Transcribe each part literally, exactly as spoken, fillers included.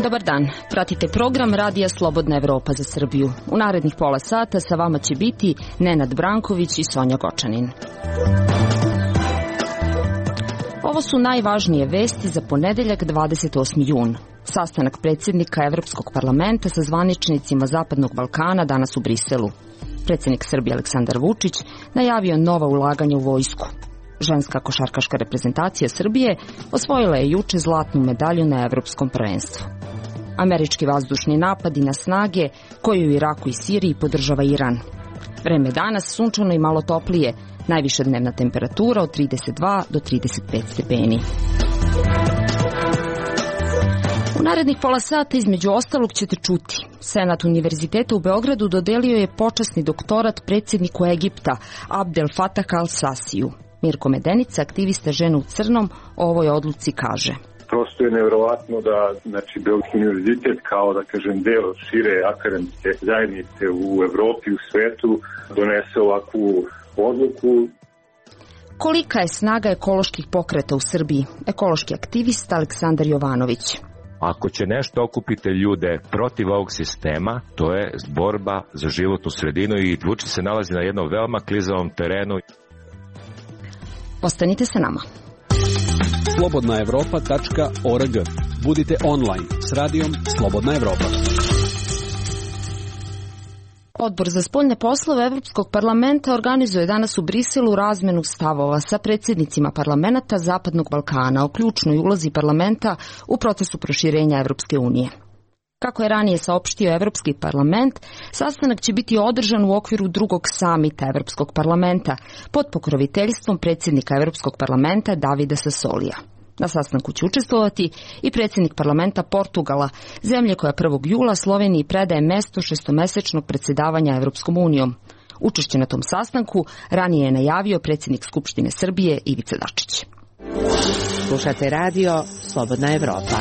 Dobar dan, pratite program Radija Slobodna Evropa za Srbiju. U narednih pola sata sa vama će biti Nenad Branković i Sonja Gočanin. Ovo su najvažnije vesti za ponedeljak dvadeset osmi jun. Sastanak predsjednika Evropskog parlamenta sa zvaničnicima Zapadnog Balkana danas u Briselu. Predsjednik Srbije Aleksandar Vučić najavio nova ulaganja u vojsku. Ženska košarkaška reprezentacija Srbije osvojila je juče zlatnu medalju na Evropskom prvenstvu. Američki vazdušni napadi na snage koje u Iraku i Siriji podržava Iran. Vreme danas sunčano i malo toplije, najviša dnevna temperatura od trideset dva do trideset pet stepeni. U narednih pola sata između ostalog ćete čuti. Senat Univerziteta u Beogradu dodelio je počasni doktorat predsjedniku Egipta Abdel Fattah al-Sasiju. Mirko Medenica, aktivista Žena u crnom, o ovoj odluci kaže: Prosto je nevjerovatno da znači, Beogradski univerzitet kao da kažem deo šire akademske zajednice u Evropi, u svetu donese ovakvu odluku. Kolika je snaga ekoloških pokreta u Srbiji? Ekološki aktivist Aleksandar Jovanović. Ako će nešto okupiti ljude protiv ovog sistema, to je borba za životnu sredinu i Vučić se nalazi na jednom veoma klizavom terenu. Ostanite sa nama. slobodna evropa tačka org. Budite online s radijom Slobodna Evropa. Odbor za spoljne poslove Evropskog parlamenta organizuje danas u Briselu razmenu stavova sa predsjednicima parlamenta Zapadnog Balkana o ključnoj ulozi parlamenta u procesu proširenja Evropske unije. Kako je ranije saopštio Evropski parlament, sastanak će biti održan u okviru drugog samita Evropskog parlamenta pod pokroviteljstvom predsjednika Evropskog parlamenta Davida Sassolija. Na sastanku će učestvovati i predsjednik parlamenta Portugala, zemlje koja prvog jula Sloveniji predaje mesto šestomesečnog predsjedavanja Evropskom unijom. Učešće na tom sastanku ranije je najavio predsjednik Skupštine Srbije Ivica Dačić. Slušate radio Slobodna Evropa.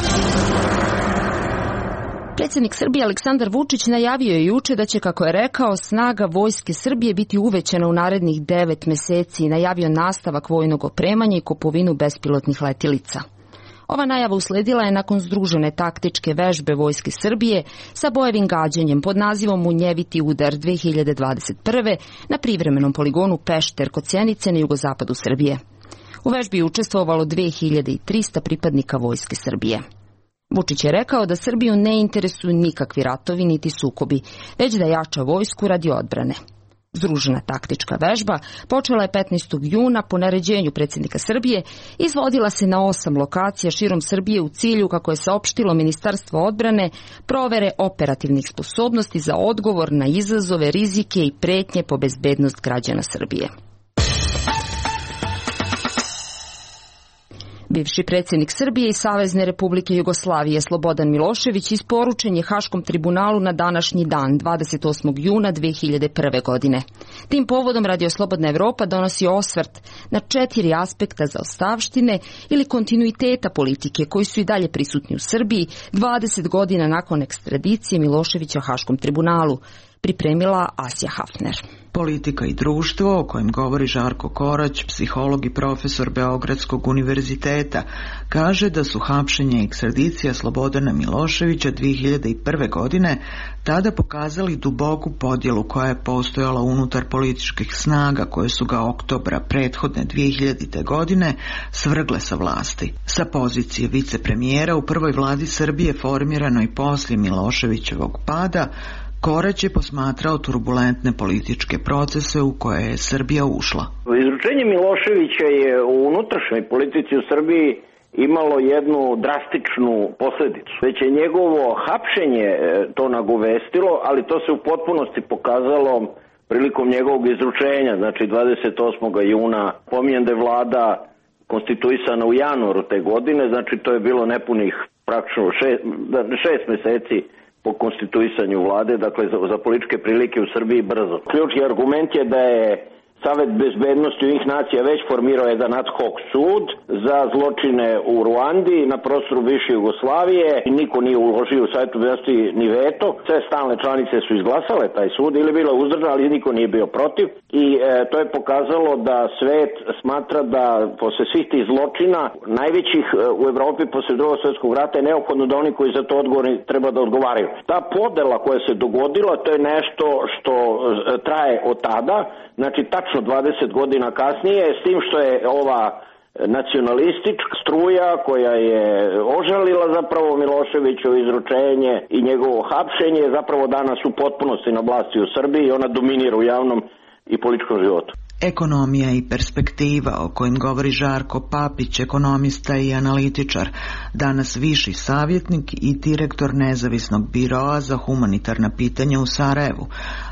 Predsjednik Srbije Aleksandar Vučić najavio je juče da će, kako je rekao, snaga vojske Srbije biti uvećana u narednih devet meseci i najavio nastavak vojnog opremanja i kupovinu bespilotnih letjelica. Ova najava usledila je nakon združene taktičke vežbe vojske Srbije sa bojevim gađanjem pod nazivom Munjeviti udar dve hiljade dvadeset prve na privremenom poligonu Pešter kod Sjenice na jugozapadu Srbije. U vežbi je učestvovalo dve hiljade trista pripadnika vojske Srbije. Vučić je rekao da Srbiju ne interesuju nikakvi ratovi niti sukobi, već da jača vojsku radi odbrane. Združena taktička vežba počela je petnaestog juna po naređenju predsjednika Srbije, izvodila se na osam lokacija širom Srbije u cilju, kako je saopštilo Ministarstvo odbrane, provere operativnih sposobnosti za odgovor na izazove, rizike i pretnje po bezbednost građana Srbije. Bivši predsjednik Srbije i Savezne Republike Jugoslavije Slobodan Milošević isporučen je Haškom tribunalu na današnji dan, dvadeset osmog juna dve hiljade prve. godine. Tim povodom Radio Slobodna Evropa donosi osvrt na četiri aspekta zaostavštine ili kontinuiteta politike koji su i dalje prisutni u Srbiji dvadeset godina nakon ekstradicije Miloševića Haškom tribunalu. Pripremila Asja Hafner. Politika i društvo, o kojem govori Žarko Korać, psiholog i profesor Beogradskog univerziteta, kaže da su hapšenje i ekstradicija Slobodana Miloševića dve hiljade prve. godine tada pokazali duboku podjelu koja je postojala unutar političkih snaga koje su ga oktobra prethodne dve hiljadite. godine svrgle sa vlasti. Sa pozicije vicepremijera u prvoj vladi Srbije formiranoj poslije Miloševićevog pada, Korać je posmatrao turbulentne političke procese u koje je Srbija ušla. Izručenje Miloševića je u unutrašnjoj politici u Srbiji imalo jednu drastičnu posljedicu. Već je njegovo hapšenje to nagovestilo, ali to se u potpunosti pokazalo prilikom njegovog izručenja, znači dvadeset osmog juna. Pominjem da je vlada konstituisana u januaru te godine, znači to je bilo nepunih praktično šest, šest meseci po konstituisanju vlade, dakle za, za političke prilike u Srbiji brzo. Ključni argument je da je Savet bezbednosti Ujedinjenih nacija već formirao jedan ad hoc sud za zločine u Ruandi na prostoru bivše Jugoslavije i niko nije uložio u Savetu bezbednosti ni veto. Sve stalne članice su izglasale taj sud ili bilo uzdržano, ali niko nije bio protiv i e, to je pokazalo da svet smatra da posle svih tih zločina najvećih e, u Evropi posle Drugog svjetskog rata je neophodno da oni koji za to odgovorni treba da odgovaraju. Ta podela koja se dogodila, to je nešto što e, traje od tada, znači tačno dvadeset godina kasnije, s tim što je ova nacionalistička struja koja je ožalila zapravo Miloševićevo izručenje i njegovo hapšenje zapravo danas u potpunosti na vlasti u Srbiji i ona dominira u javnom i političkom životu. Ekonomija i perspektiva o kojim govori Žarko Papić, ekonomista i analitičar, danas viši savjetnik i direktor nezavisnog biroa za humanitarna pitanja u Sarajevu.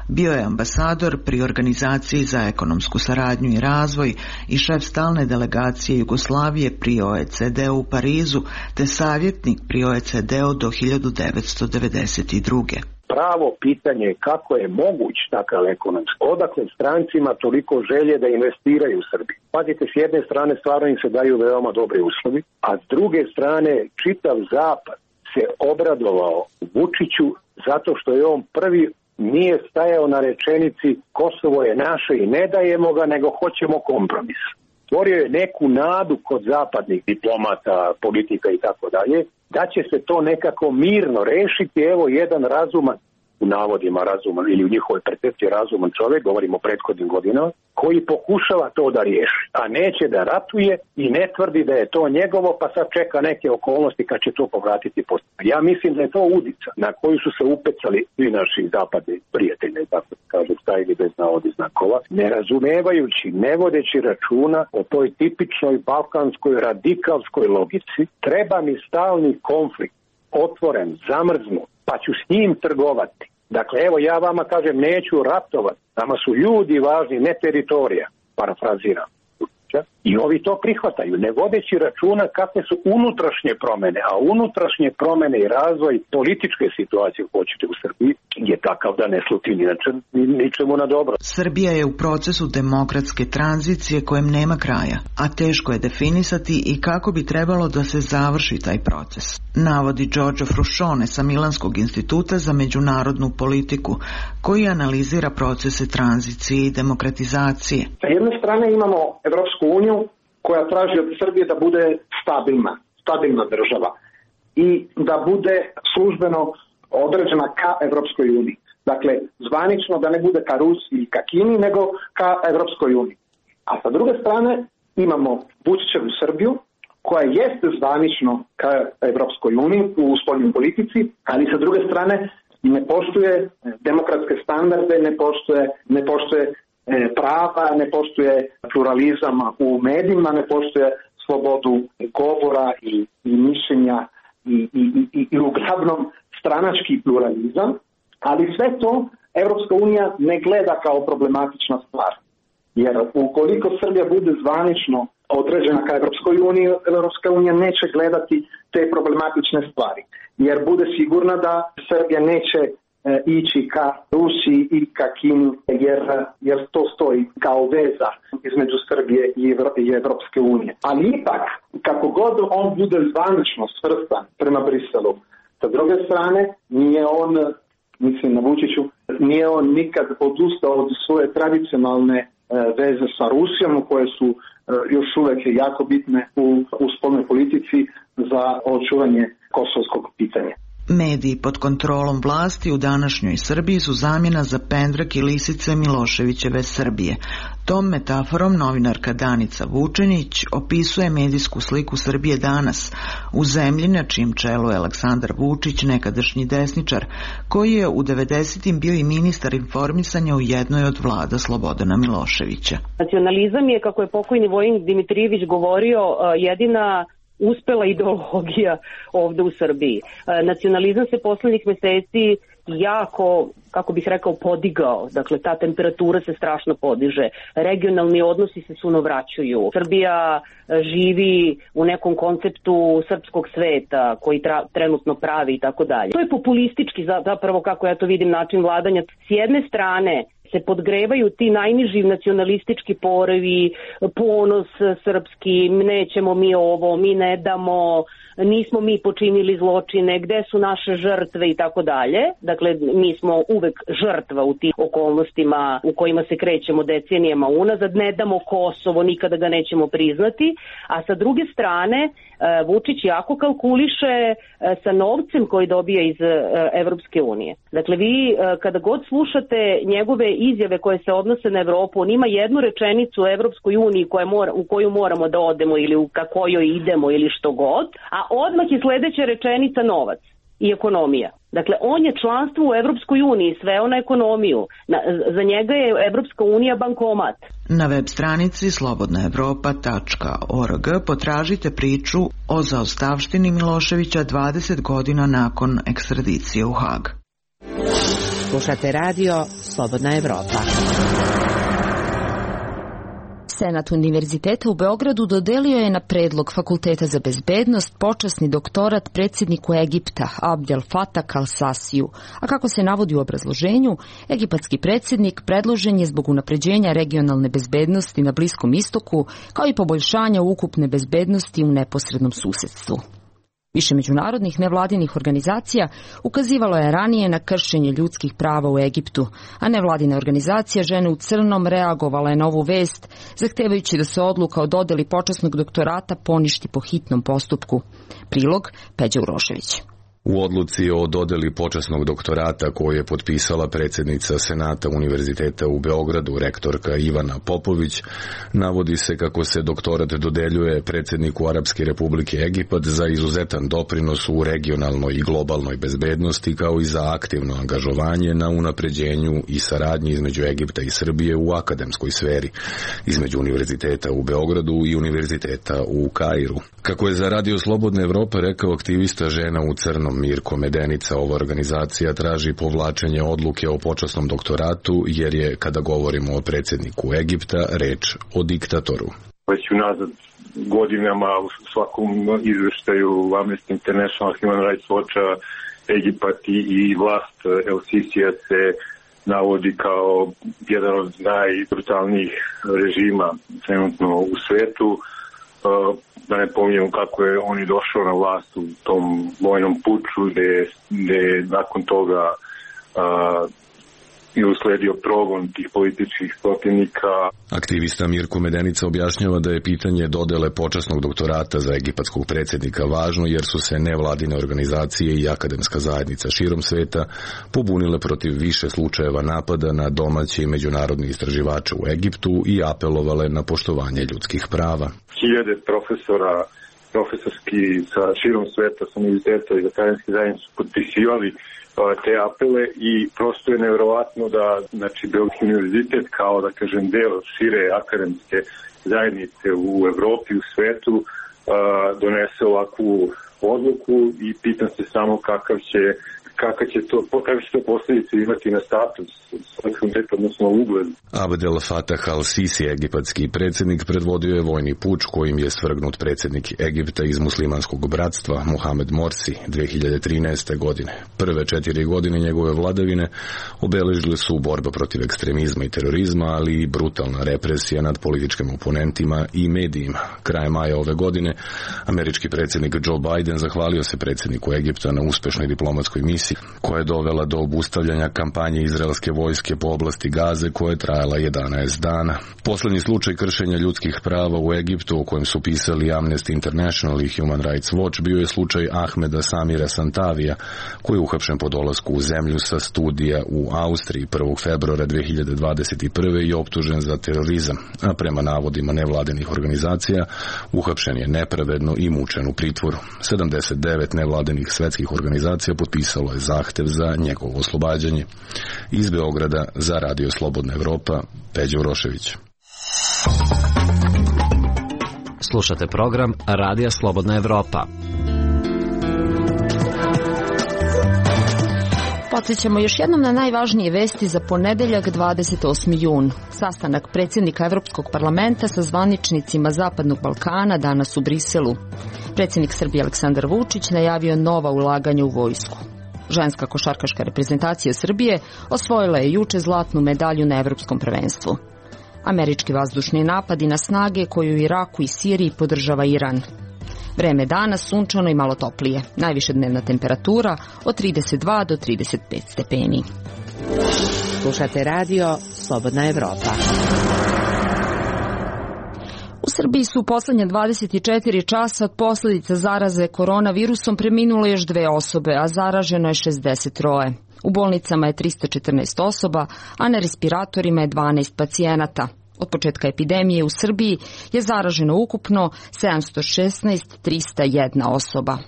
Bio je ambasador pri Organizaciji za ekonomsku saradnju i razvoj i šef stalne delegacije Jugoslavije pri O E C D u Parizu, te savjetnik pri O E C D-u do hiljadu devetsto devedeset druge. Pravo pitanje je kako je moguć takav ekonomski. Odakle strancima toliko želje da investiraju u Srbiju. Pazite, s jedne strane stvarno im se daju veoma dobre uslovi, a s druge strane čitav zapad se obradovao Vučiću zato što je on prvi nije stajao na rečenici Kosovo je naše i ne dajemo ga, nego hoćemo kompromis. Stvorio je neku nadu kod zapadnih diplomata, politika i tako dalje, da će se to nekako mirno rešiti. Evo jedan razuman, u navodima razuman ili u njihovoj percepciji razuman čovjek, govorimo o prethodnim godinama, koji pokušava to da riješi, a neće da ratuje i ne tvrdi da je to njegovo, pa sad čeka neke okolnosti kad će to povratiti posto. Ja mislim da je to udica na koju su se upecali svi naši zapadni prijatelji, tako da kažu, stavili bez navodi znakova, ne razumevajući, ne vodeći računa o toj tipičnoj balkanskoj radikalskoj logici. Treba mi stalni konflikt, otvoren, zamrznut, pa ću s njim trgovati. Dakle, evo ja vama kažem, neću ratovati, nama su ljudi važni, ne teritorija, parafraziram. I ovi to prihvataju, ne vodeći računa kakve su unutrašnje promene, a unutrašnje promene i razvoj političke situacije hoćete u Srbiji je takav da ne sluti ničemu na dobro. Srbija je u procesu demokratske tranzicije kojem nema kraja, a teško je definisati i kako bi trebalo da se završi taj proces, navodi Giorgio Fruscione sa Milanskog instituta za međunarodnu politiku, koji analizira procese tranzicije i demokratizacije. Sa jedne strane imamo Evropsku uniju koja traži od Srbije da bude stabilna, stabilna država i da bude službeno određena ka Evropskoj uniji. Dakle, zvanično da ne bude ka Rusiji i ka Kini, nego ka Evropskoj uniji. A sa druge strane imamo Vučićevu Srbiju koja jeste zvanično ka Evropskoj uniji u spoljnoj politici, ali sa druge strane ne poštuje demokratske standarde, ne poštuje, ne poštuje prava, ne poštuje pluralizam u medijima, ne poštuje slobodu govora i, i mišljenja i, i, i, i uglavnom stranački pluralizam, ali sve to Evropska unija ne gleda kao problematična stvar. Jer ukoliko Srbija bude zvanično određena ka Evropskoj uniji, Evropska unija neće gledati te problematične stvari. Jer bude sigurna da Srbija neće ići ka Rusiji i ka Kini, jer, jer to stoji kao veza između Srbije i Evropske unije. Ali ipak, kako god on bude zvanično svrstan prema Briselu, sa druge strane, nije on, mislim na Vučiću, nije on nikad odustao od svoje tradicionalne veze sa Rusijom, koje su još uvek jako bitne u, u spoljnoj politici za očuvanje kosovskog pitanja. Mediji pod kontrolom vlasti u današnjoj Srbiji su zamjena za pendrek i lisice Miloševićeve Srbije. Tom metaforom novinarka Danica Vučenić opisuje medijsku sliku Srbije danas, u zemlji na čijem čelu je Aleksandar Vučić, nekadašnji desničar, koji je u devedesetim bio i ministar informisanja u jednoj od vlada Slobodana Miloševića. Nacionalizam je, kako je pokojni Vojin Dimitrijević govorio, jedina uspela ideologija ovde u Srbiji. Nacionalizam se poslednjih meseci jako, kako bih rekao, podigao. Dakle, ta temperatura se strašno podiže. Regionalni odnosi se sunovraćuju. Srbija živi u nekom konceptu srpskog sveta koji tra, trenutno pravi i tako dalje. To je populistički zapravo, kako ja to vidim, način vladanja. S jedne strane se podgrevaju ti najniži nacionalistički porovi, ponos srpski, nećemo mi ovo, mi ne damo, nismo mi počinili zločine, gde su naše žrtve i tako dalje. Dakle, mi smo uvek žrtva u tim okolnostima u kojima se krećemo decenijama unazad, ne damo Kosovo, nikada ga nećemo priznati, a sa druge strane Vučić jako kalkuliše sa novcem koji dobija iz Evropske unije. Dakle, vi kada god slušate njegove izjave koje se odnose na Evropu, on ima jednu rečenicu o Evropskoj uniji koja mora, u koju moramo da odemo ili u kojoj idemo ili što god, a odmah je sledeća rečenica novac i ekonomija. Dakle, on je članstvo u Evropskoj uniji sveo na ekonomiju. Na, za njega je Evropska unija bankomat. Na web stranici slobodna evropa tačka org potražite priču o zaostavštini Miloševića dvadeset godina nakon ekstradicije u Hag. Slušate radio Slobodna Evropa. Senat Univerziteta u Beogradu dodelio je na predlog Fakulteta za bezbednost počasni doktorat predsjedniku Egipta Abdel Fattah al-Sasiju, a kako se navodi u obrazloženju, egipatski predsjednik predložen je zbog unapređenja regionalne bezbednosti na Bliskom istoku, kao i poboljšanja ukupne bezbednosti u neposrednom susedstvu. Više međunarodnih nevladinih organizacija ukazivalo je ranije na kršenje ljudskih prava u Egiptu, a nevladina organizacija Žene u crnom reagovala je na ovu vest, zahtevajući da se odluka o dodeli počasnog doktorata poništi po hitnom postupku. Prilog Peđa Urošević. U odluci o dodeli počasnog doktorata koju je potpisala predsjednica Senata Univerziteta u Beogradu, rektorka Ivana Popović, navodi se kako se doktorat dodeljuje predsjedniku Arapske Republike Egipat za izuzetan doprinos u regionalnoj i globalnoj bezbednosti, kao i za aktivno angažovanje na unapređenju i saradnji između Egipta i Srbije u akademskoj sferi, između Univerziteta u Beogradu i Univerziteta u Kairu. Kako je za Radio Slobodna Evropa rekao aktivista Žena u crnom Mirko Medenica, ova organizacija traži povlačenje odluke o počasnom doktoratu, jer je, kada govorimo o predsjedniku Egipta, reč o diktatoru. Već unazad godinama u svakom izveštaju Amnesty International, Human Rights Watcha, Egipat i vlast El Sisija se navodi kao jedan od najbrutalnijih režima trenutno u svetu. Da ne pominjem kako je on i došao na vlast u tom vojnom puču gde, gde nakon toga uh, je usledio progon tih političkih protivnika. Aktivista Mirko Medenica objašnjava da je pitanje dodele počasnog doktorata za egipatskog predsjednika važno, jer su se nevladine organizacije i akademska zajednica širom sveta pobunile protiv više slučajeva napada na domaće i međunarodne istraživače u Egiptu i apelovale na poštovanje ljudskih prava. Hiljade profesora, profesorski sa širom sveta, sa univerziteta i akademske zajednice su potpisivali te apele i prosto je nevjerovatno da, znači, Beogradski univerzitet kao, da kažem, deo šire akademske zajednice u Evropi, u svetu, donese ovakvu odluku i pitam se samo kakav će Kako će to, kakve će to posljedice imati na status, odnosno ugled. Abdel Fattah al-Sisi, egipatski predsjednik, predvodio je vojni puč kojim je svrgnut predsjednik Egipta iz muslimanskog bratstva Mohamed Morsi dve hiljade trinaeste. godine. Prve četiri godine njegove vladavine obeležile su borba protiv ekstremizma i terorizma, ali i brutalna represija nad političkim oponentima i medijima. Krajem maja ove godine američki predsjednik Joe Biden zahvalio se predsjedniku Egipta na uspešnoj diplomatskoj misiji koja je dovela do obustavljanja kampanje izraelske vojske po oblasti Gaze koja je trajala jedanaest dana. Poslednji slučaj kršenja ljudskih prava u Egiptu o kojem su pisali Amnesty International i Human Rights Watch bio je slučaj Ahmeda Samira Santavija, koji je uhapšen po dolasku u zemlju sa studija u Austriji prvog februara dve hiljade dvadeset prve. i optužen za terorizam, a prema navodima nevladenih organizacija uhapšen je nepravedno i mučen u pritvoru. sedamdeset devet nevladenih svetskih organizacija potpisalo je zahtev za njegovo oslobađanje. Iz Beograda za Radio Slobodna Evropa, Peđa Urošević. Slušate program Radija Slobodna Evropa. Podsjećamo još jednom na najvažnije vesti za ponedeljak dvadeset osmi jun. Sastanak predsjednika Evropskog parlamenta sa zvaničnicima Zapadnog Balkana danas u Briselu. Predsjednik Srbije Aleksandar Vučić najavio nova ulaganja u vojsku. Ženska košarkaška reprezentacija Srbije osvojila je juče zlatnu medalju na Evropskom prvenstvu. Američki vazdušni napadi na snage koju u Iraku i Siriji podržava Iran. Vreme dana sunčano i malo toplije. Najviše dnevna temperatura od trideset dva do trideset pet stepeni. Slušate radio Slobodna Evropa. U Srbiji su u poslednje dvadeset četiri časa od posljedica zaraze koronavirusom preminule još dve osobe, a zaraženo je šezdeset troje. U bolnicama je trista četrnaest osoba, a na respiratorima je dvanaest pacijenata. Od početka epidemije u Srbiji je zaraženo ukupno sedamsto šesnaest hiljada trista jedna osoba.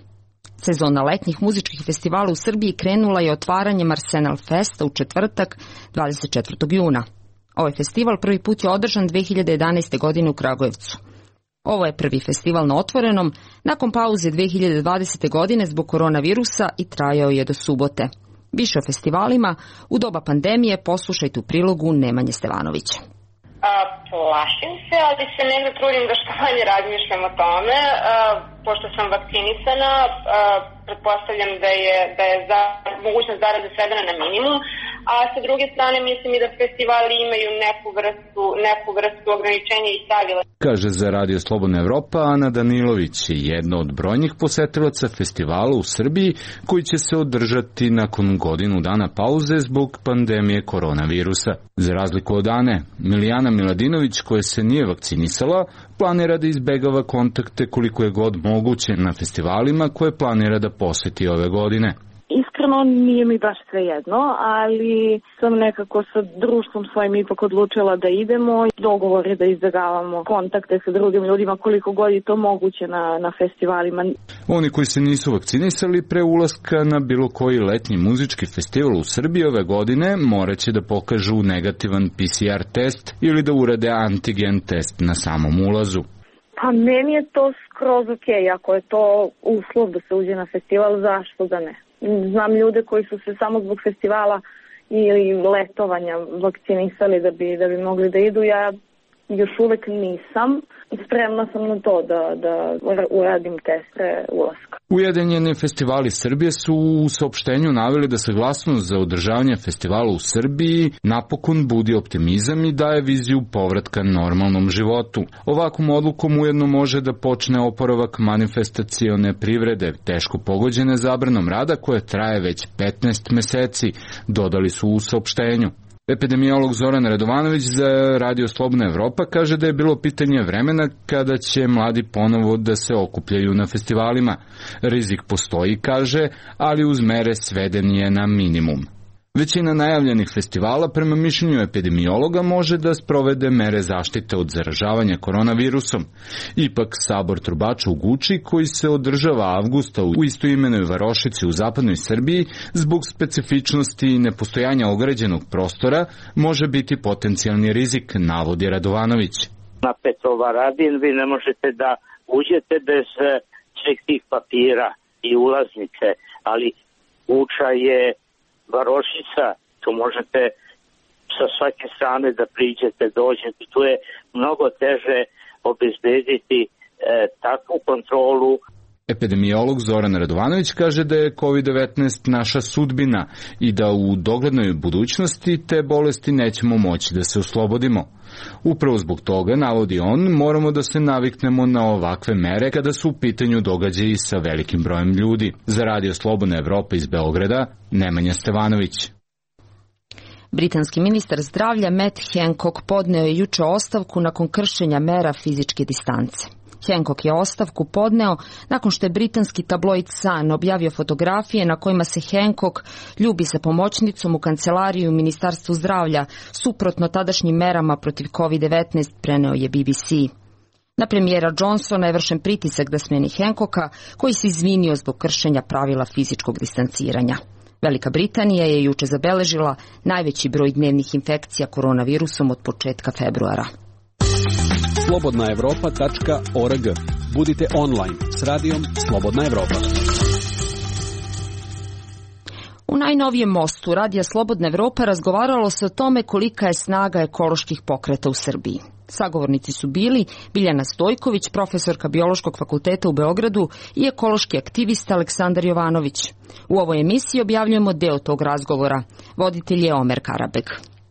Sezona letnjih muzičkih festivala u Srbiji krenula je otvaranjem Arsenal Festa u četvrtak, dvadeset četvrtog juna. Ovaj festival prvi put je održan dve hiljade jedanaeste. godine u Kragujevcu. Ovo je prvi festival na otvorenom, nakon pauze dve hiljade dvadesete. godine zbog koronavirusa i trajao je do subote. Više o festivalima u doba pandemije poslušajte u prilogu Nemanje Stevanovića. A, plašim se, ali se negde trudim da što manje razmišljam o tome. A, pošto sam vakcinisana, a, pretpostavljam da je, da je za, mogućnost zaraze svedena na minimum, a sa druge strane mislim i da festivali imaju neku vrstu, neku vrstu ograničenja i pravila. Kaže za Radio Slobodna Evropa Ana Danilović, jedna od brojnih posetilaca festivala u Srbiji koji će se održati nakon godinu dana pauze zbog pandemije koronavirusa. Za razliku od Ane, Milijana Miladinović, koja se nije vakcinisala, planira da izbegava kontakte koliko je god moguće na festivalima koje planira da poseti ove godine. Iskreno nije mi baš sve jedno, ali sam nekako sa društvom svojim ipak odlučila da idemo. Dogovor je da izbjegavamo kontakte sa drugim ljudima koliko god je to moguće na, na festivalima. Oni koji se nisu vakcinisali pre ulaska na bilo koji letnji muzički festival u Srbiji ove godine moraće da pokažu negativan P C R test ili da urade antigen test na samom ulazu. Pa meni je to skroz ok, ako je to uslov da se uđe na festival, zašto da ne? Znam ljude koji su se samo zbog festivala ili letovanja vakcinisali da bi, da bi mogli da idu. Ja još uvek nisam. Spremna sam na to da, da uradim teste ulaska. Ujedinjeni festivali Srbije su u saopštenju naveli da saglasnost za održavanje festivala u Srbiji napokon budi optimizam i daje viziju povratka normalnom životu. Ovakvom odlukom ujedno može da počne oporavak manifestacione privrede, teško pogođene zabranom rada koje traje već petnaest meseci, dodali su u saopštenju. Epidemiolog Zoran Radovanović za Radio Slobodna Evropa kaže da je bilo pitanje vremena kada će mladi ponovo da se okupljaju na festivalima. Rizik postoji, kaže, ali uz mere sveden je na minimum. Većina najavljenih festivala, prema mišljenju epidemiologa, može da sprovede mere zaštite od zaražavanja koronavirusom. Ipak, sabor trubača u Guči, koji se održava avgusta u istoimenoj varošici u zapadnoj Srbiji, zbog specifičnosti i nepostojanja ograđenog prostora, može biti potencijalni rizik, navodi Radovanović. Na Petrovaradin vi ne možete da uđete bez svih tih papira i ulaznice, ali Guča je varošica, tu možete sa svake strane da priđete, dođete, tu je mnogo teže obezbediti e, takvu kontrolu. Epidemiolog Zoran Radovanović kaže da je kovid devetnaest naša sudbina i da u doglednoj budućnosti te bolesti nećemo moći da se oslobodimo. Upravo zbog toga, navodi on, moramo da se naviknemo na ovakve mere kada su u pitanju događaji sa velikim brojem ljudi. Za Radio Slobodna Evropa iz Beograda, Nemanja Stevanović. Britanski ministar zdravlja Matt Hancock podneo je juče ostavku nakon kršenja mera fizičke distance. Hancock je ostavku podneo nakon što je britanski tabloid Sun objavio fotografije na kojima se Hancock ljubi sa pomoćnicom u kancelariji u Ministarstvu zdravlja, suprotno tadašnjim merama protiv kovid devetnaest, preneo je B B C. Na premijera Johnsona je vršen pritisak da smeni Hancocka, koji se izvinio zbog kršenja pravila fizičkog distanciranja. Velika Britanija je juče zabeležila najveći broj dnevnih infekcija koronavirusom od početka februara. slobodna evropa tačka org. Budite online s radijom Slobodna Evropa. U najnovijem mostu Radija Slobodna Evropa razgovaralo se o tome kolika je snaga ekoloških pokreta u Srbiji. Sagovornici su bili Biljana Stojković, profesorka Biološkog fakulteta u Beogradu i ekološki aktivista Aleksandar Jovanović. U ovoj emisiji objavljujemo deo tog razgovora. Voditelj je Omer Karabeg.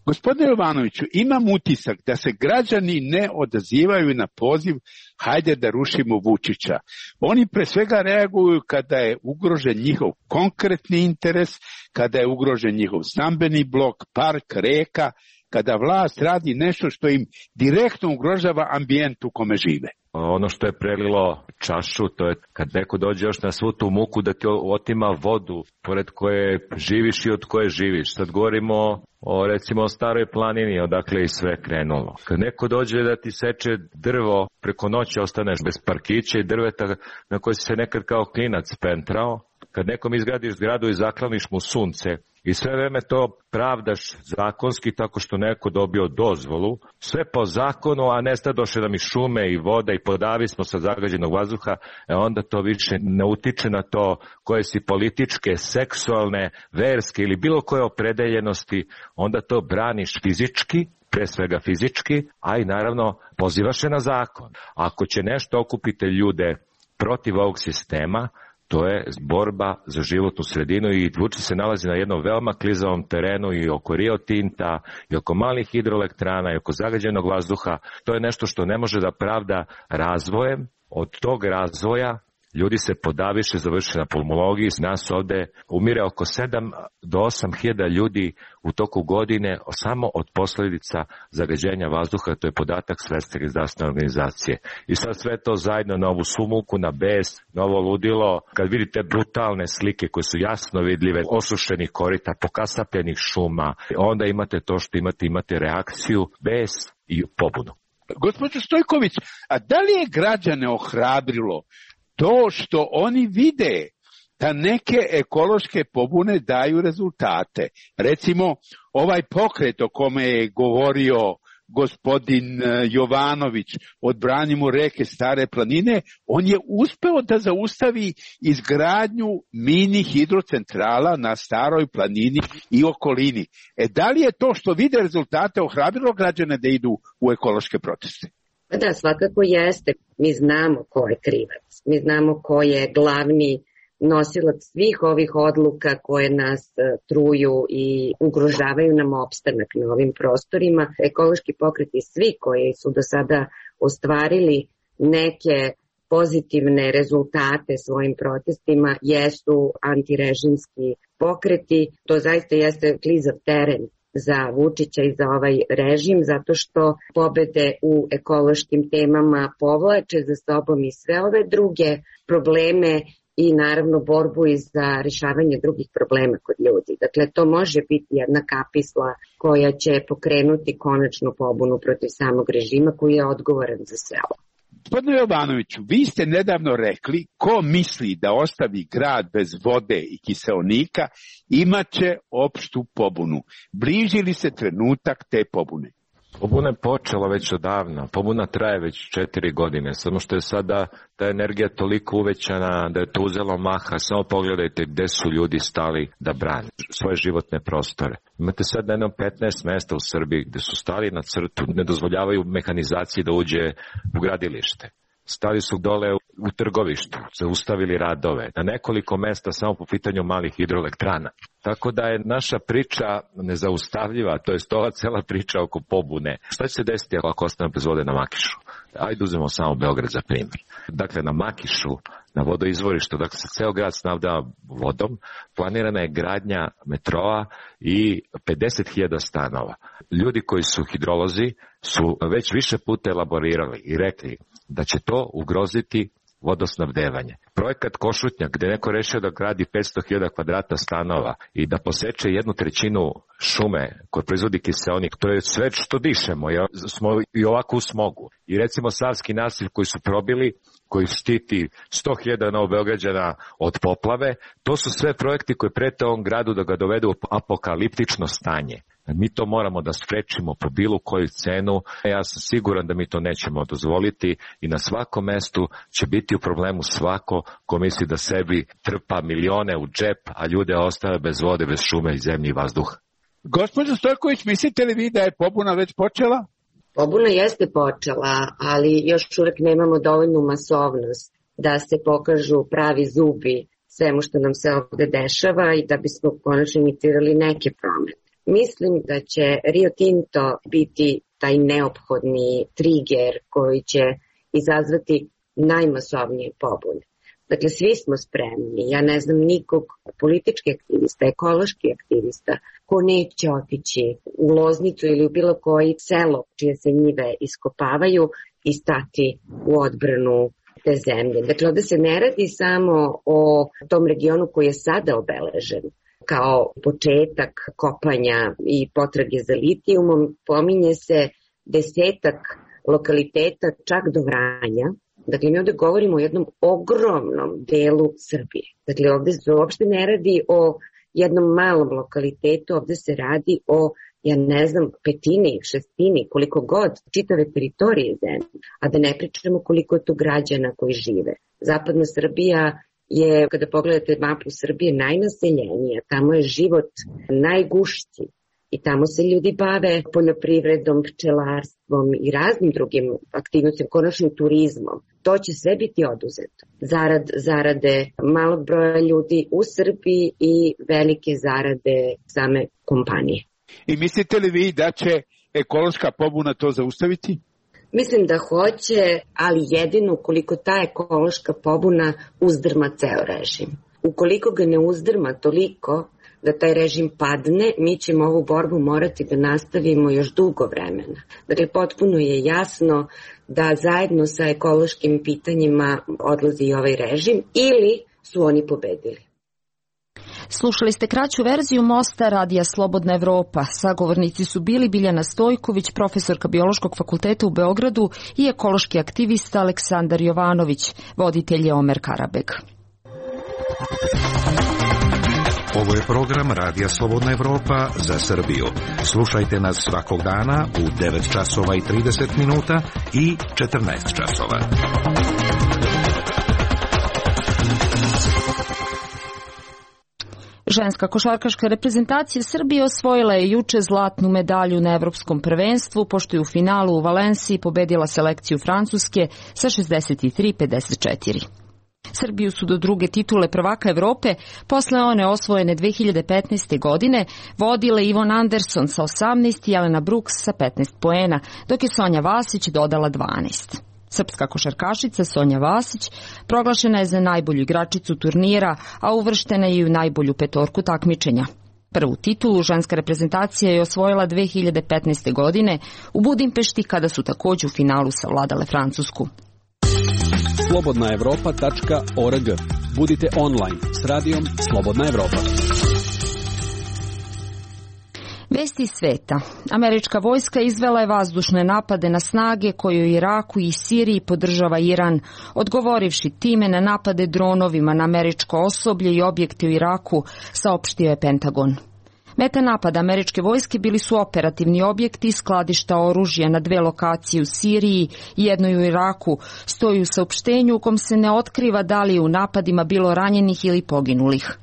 Gospodine Jovanoviću, imam utisak da se građani ne odazivaju na poziv hajde da rušimo Vučića. Oni pre svega reaguju kada je ugrožen njihov konkretni interes, kada je ugrožen njihov stambeni blok, park, reka, kada vlast radi nešto što im direktno ugrožava ambijent u kome žive. Ono što je prelilo čašu, to je kad neko dođe još na svu tu muku da ti otima vodu pored koje živiš i od koje živiš. Sad govorimo o recimo o Staroj planini, odakle i sve krenulo. Kad neko dođe da ti seče drvo, preko noći ostaneš bez parkića i drveta na koje si se nekad kao klinac pentrao. Kad nekom izgradiš zgradu i zakloniš mu sunce i sve vreme to pravdaš zakonski tako što neko dobio dozvolu, sve po zakonu, a nestadoše nam i šume i voda i podavi smo sa zagađenog vazduha, e onda to više ne utiče na to koje si političke, seksualne, verske ili bilo koje opredeljenosti, onda to braniš fizički, pre svega fizički, a i naravno pozivaš se na zakon. Ako će nešto okupiti ljude protiv ovog sistema, to je borba za životnu sredinu i Vučić se nalazi na jednom veoma klizavom terenu i oko Rio Tinta, i oko malih hidroelektrana, i oko zagađenog vazduha. To je nešto što ne može da pravda razvojem. Od tog razvoja ljudi se podaviše, završe na pulmologiji. Nas ovde umire oko sedam do osam hiljada ljudi u toku godine samo od posledica zagađenja vazduha. To je podatak Svetske zdravstvene organizacije. I sad sve to zajedno na ovu sumuku, na bes, na ovo ludilo. Kad vidite brutalne slike koje su jasno vidljive, osušenih korita, pokasapljenih šuma, onda imate to što imate, imate reakciju, bes i pobunu. Gospođo Stojković, a da li je građane ohrabrilo to što oni vide da neke ekološke pobune daju rezultate? Recimo, ovaj pokret o kome je govorio gospodin Jovanović, Odbranimo reke Stare planine, on je uspeo da zaustavi izgradnju mini hidrocentrala na Staroj planini i okolini. E, da li je to što vide rezultate ohrabrilo građane da idu u ekološke proteste? Da, svakako jeste. Mi znamo ko je krivac. Mi znamo ko je glavni nosilac svih ovih odluka koje nas truju i ugrožavaju nam opstanak na ovim prostorima. Ekološki pokreti, svi koji su do sada ostvarili neke pozitivne rezultate svojim protestima, jesu antirežimski pokreti. To zaista jeste klizav teren za Vučića i za ovaj režim, zato što pobede u ekološkim temama povlače za sobom i sve ove druge probleme i naravno borbu i za rješavanje drugih problema kod ljudi. Dakle, to može biti jedna kapisla koja će pokrenuti konačnu pobunu protiv samog režima koji je odgovoran za sve ovo. Gospodine Jovanoviću, vi ste nedavno rekli ko misli da ostavi grad bez vode i kiseonika imaće opštu pobunu. Bliži li se trenutak te pobune? Pobuna je počela već odavno, pobuna traje već četiri godine, samo što je sada ta energija toliko uvećana da je to uzelo maha. Samo pogledajte gde su ljudi stali da brane svoje životne prostore. Imate sad na jednom petnaest mesta u Srbiji gde su stali na crtu, ne dozvoljavaju mehanizaciji da uđe u gradilište. Stali su dole u trgovištu, zaustavili radove, na nekoliko mesta samo po pitanju malih hidroelektrana. Tako da je naša priča nezaustavljiva, to je ova cela priča oko pobune. Šta će se desiti ako ostane bez vode na Makišu? Ajde uzmemo samo Beograd za primjer. Dakle, na Makišu, na vodoizvorištu, dakle se ceo grad snabdeva vodom, planirana je gradnja metroa i pedeset hiljada stanova. Ljudi koji su hidrolozi su već više puta elaborirali i rekli da će to ugroziti vodosnabdevanje. Projekat Košutnjak, gde neko rešio da gradi petsto hiljada kvadrata stanova i da poseče jednu trećinu šume koja proizvodi kiseonik, to je sve što dišemo, jer smo i ovako u smogu. I recimo Savski nasiv koji su probili, koji štiti sto hiljada Novobeograđana od poplave, to su sve projekti koji prete ovom gradu da ga dovedu u apokaliptično stanje. Mi to moramo da sprečimo po bilo koju cenu. Ja sam siguran da mi to nećemo dozvoliti i na svakom mestu će biti u problemu svako ko misli da sebi trpa milione u džep, a ljude ostave bez vode, bez šume i zemlje i vazduha. Gospođo Stojković, mislite li vi da je pobuna već počela? Pobuna jeste počela, ali još uvek nemamo dovoljnu masovnost da se pokažu pravi zubi svemu što nam se ovde dešava i da bismo konačno inicirali neke promene. Mislim da će Rio Tinto biti taj neophodni triger koji će izazvati najmasovnije pobune. Dakle, svi smo spremni. Ja ne znam nikog politički aktivista, ekološki aktivista ko neće otići u Loznicu ili u bilo koji selo čije se njive iskopavaju i stati u odbranu te zemlje. Dakle, ovde se ne radi samo o tom regionu koji je sada obeležen kao početak kopanja i potrage za litijumom, pominje se desetak lokaliteta čak do Vranja. Dakle, mi ovde govorimo o jednom ogromnom delu Srbije. Dakle, ovde se uopšte ne radi o jednom malom lokalitetu, ovde se radi o, ja ne znam, petini, šestini, koliko god, čitave teritorije zemlje, a da ne pričamo koliko je tu građana koji žive. Zapadna Srbija je, kada pogledate mapu Srbije, najnaseljenija, tamo je život najgušći. I tamo se ljudi bave poljoprivredom, pčelarstvom i raznim drugim aktivnostima, konačno turizmom. To će sve biti oduzeto. Zarad, zarade malog broja ljudi u Srbiji i velike zarade same kompanije. I mislite li vi da će ekološka pobuna to zaustaviti? Mislim da hoće, ali jedino ukoliko ta ekološka pobuna uzdrma ceo režim. Ukoliko ga ne uzdrma toliko da taj režim padne, mi ćemo ovu borbu morati da nastavimo još dugo vremena. Dakle, potpuno je jasno da zajedno sa ekološkim pitanjima odlazi i ovaj režim ili su oni pobedili. Slušali ste kraću verziju Mosta Radija Slobodna Evropa. Sagovornici su bili Biljana Stojković, profesorka Biološkog fakulteta u Beogradu i ekološki aktivista Aleksandar Jovanović, voditelj je Omer Karabeg. Ovo je program Radija Slobodna Evropa za Srbiju. Slušajte nas svakog dana u devet časova i trideset minuta i četrnaest časova. Ženska košarkaška reprezentacija Srbije osvojila je juče zlatnu medalju na evropskom prvenstvu, pošto je u finalu u Valenciji pobedila selekciju Francuske sa šezdeset tri pedeset četiri. Srbiju su do druge titule prvaka Evrope, posle one osvojene dve hiljade petnaeste. godine, vodile Ivon Anderson sa osamnaest i Jelena Brooks sa petnaest poena, dok je Sonja Vasić dodala dvanaest. Srpska košarkašica Sonja Vasić proglašena je za najbolju igračicu turnira, a uvrštena je i u najbolju petorku takmičenja. Prvu titulu ženska reprezentacija je osvojila dve hiljade petnaeste. godine u Budimpešti, kada su takođe u finalu savladale Francusku. slobodna evropa tačka org. Budite online s radijom Slobodna Evropa. Vesti iz sveta. Američka vojska izvela je vazdušne napade na snage koje u Iraku i Siriji podržava Iran, odgovorivši time na napade dronovima na američko osoblje i objekte u Iraku, saopštio je Pentagon. Meta napada američke vojske bili su operativni objekti, skladišta oružja na dve lokacije u Siriji i jednoj u Iraku, stoji u saopštenju u kom se ne otkriva da li je u napadima bilo ranjenih ili poginulih.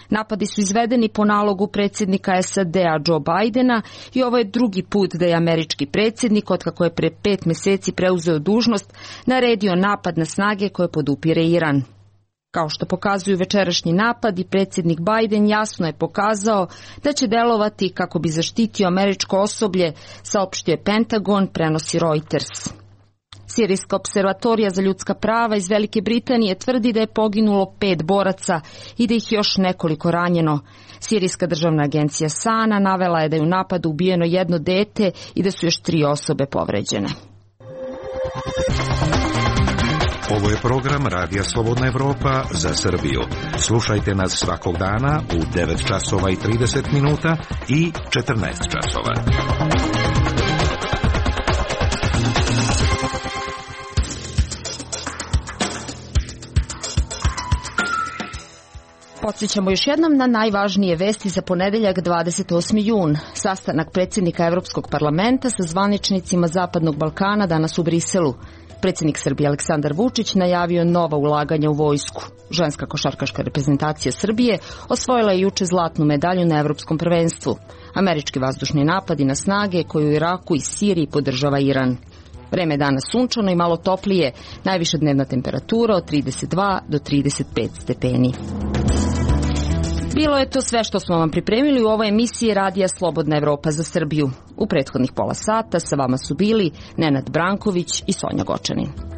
Napadi su izvedeni po nalogu predsjednika S A D-a Joe Bidena i ovo je drugi put da je američki predsjednik, otkako je pre pet meseci preuzeo dužnost, naredio napad na snage koje podupire Iran. Kao što pokazuju večerašnji napad, i predsjednik Biden jasno je pokazao da će delovati kako bi zaštitio američko osoblje, saopštio je Pentagon, prenosi Reuters. Sirijska observatorija za ljudska prava iz Velike Britanije tvrdi da je poginulo pet boraca i da ih još nekoliko ranjeno. Sirijska državna agencija SANA navela je da je u napadu ubijeno jedno dete i da su još tri osobe povređene. Ovo je program Radija Slobodna Evropa za Srbiju. Slušajte nas svakog dana u devet časova i trideset minuta i četrnaest časova. Podsjećamo još jednom na najvažnije vesti za ponedeljak dvadeset osmi jun. Sastanak predsjednika Evropskog parlamenta sa zvaničnicima Zapadnog Balkana danas u Briselu. Predsjednik Srbije Aleksandar Vučić najavio nova ulaganja u vojsku. Ženska košarkaška reprezentacija Srbije osvojila je juče zlatnu medalju na Evropskom prvenstvu. Američki vazdušni napadi na snage koje u Iraku i Siriji podržava Iran. Vreme je danas sunčano i malo toplije, najviša dnevna temperatura od trideset dva do trideset pet stepeni. Bilo je to sve što smo vam pripremili u ovoj emisiji Radija Slobodna Evropa za Srbiju. U prethodnih pola sata sa vama su bili Nenad Branković i Sonja Gočanin.